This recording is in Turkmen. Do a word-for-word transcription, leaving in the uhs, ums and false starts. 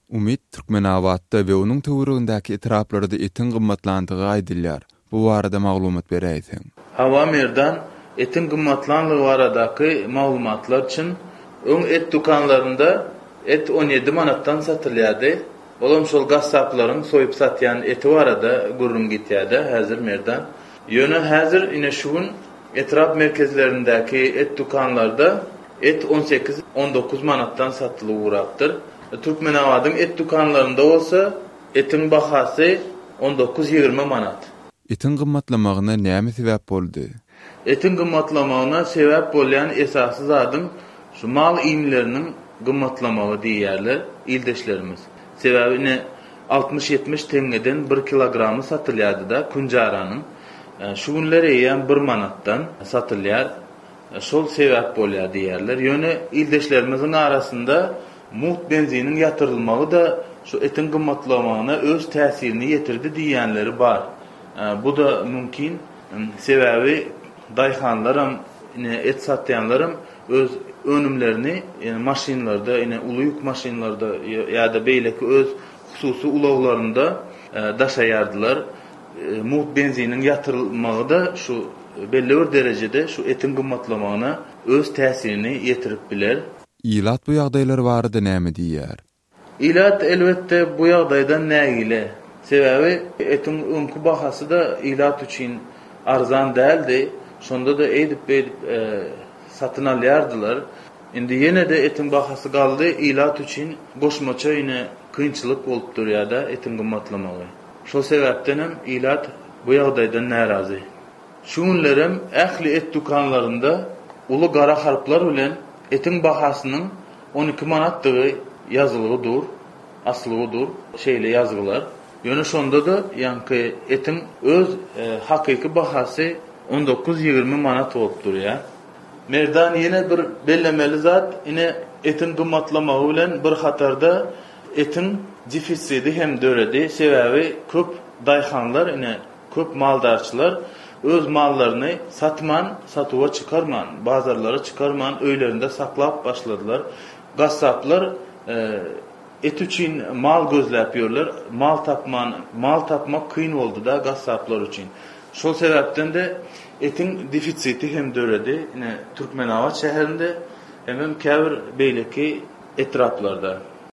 Umyt, Türkmenabatda we onuň töweregindäki etraplarda etiň gymmatlandygy aýdylýar. Bu barada maglumat beräýseň. Hawa Merdan, etiň gymmatlanlygy baradaky maglumatlar çyn. Öň et dükanlarynda et on ýedi manatdan satylýardy. Olam şol gassaplaryň soýup satýan eti barada gürrüň gitýär-dä häzir Merdan. Ýöne häzir ine şu gün etrap merkezlerindäki et dükanlarda et on sekiz, on dokuz manatdan satylyp ugrapdyr. Türkmenabadyň et dükanlarynda bolsa etiň bahasy on dokuz, ýigrimi manat. Etiň gymmatlamagyna näme sebäp boldy? Etiň gymmatlamagyna sebäp bolýan esasy zadyň şu mal iýmleriniň gymmatlamagy diýýärler ildeşlerimiz. Sebäbi ine altmyş-ýetmiş teňňeden bir kilogramy satylýardy-da künjaranyň. Şu günler eýýäm bir manatdan satylýar. Şol sebäp bolýar diýýärler. Ýöne ildeşlerimiziň arasynda mugt benziniň ýatyrylmagy-da şu etiň gymmatlamagyna öz täsirini ýetirdi diýýänleri bar. Bu-da mümkin. Sebäbi daýhanlaram, ine et satýanlaram öz önümlerini maşynlarda, ine uly ýük maşynlarda ýa-da beýleki öz hususy ulaglarynda daşaýardylar. Mugt benziniň ýatyrylmagy-da şu belli bir derejede şu etiň gymmatlamagyna öz täsirini ýetirip biler. Ilat bu ýagdaýlar barada näme diýýär? Ilat elbetde bu ýagdaýdan nägile. Sebäbi etiň öňki bahasy-da ilat üçin arzan däldi. Şonda-da eýdip-beýdip satyn alýardylar. Indi ýene-de etiň bahasy galdy, ilat üçin goşmaça ine kynçylyk bolup durýar-da etiň gymmatlamagy. Şol sebäpdenem ilat bu ýagdaýdan närazy. Şu günlerem ähli et dükanlarynda uly gara harplar bilen etiň bahasynyň on iki manatdygy ýazylgy dur, asylgy dur, şeýle ýazgylar. Ýöne şonda-da ýaňky etiň öz hakyky bahasy on dokuz-ýigrimi manat bolup durýar. Merdan ýene bir bellemeli zat, ine etiň gymmatlamagy bilen bir hatarda etiň defisidi hem döredi. Sebäbi köp daýhanlar, ine köp maldarçylar öz mallaryny satman, satuwa çykarman, bazarlara çykarman öýlerinde saklap başladylar. Gassaplar et üçin mal gözläp ýörler. Mal tapman, mal tapmak kyn boldy-da gassaplar üçin. Şol sebäpden-de etiň defisiti hem döredi. Ine Türkmenabat şäherinde hemem käbir beýleki etraplarda.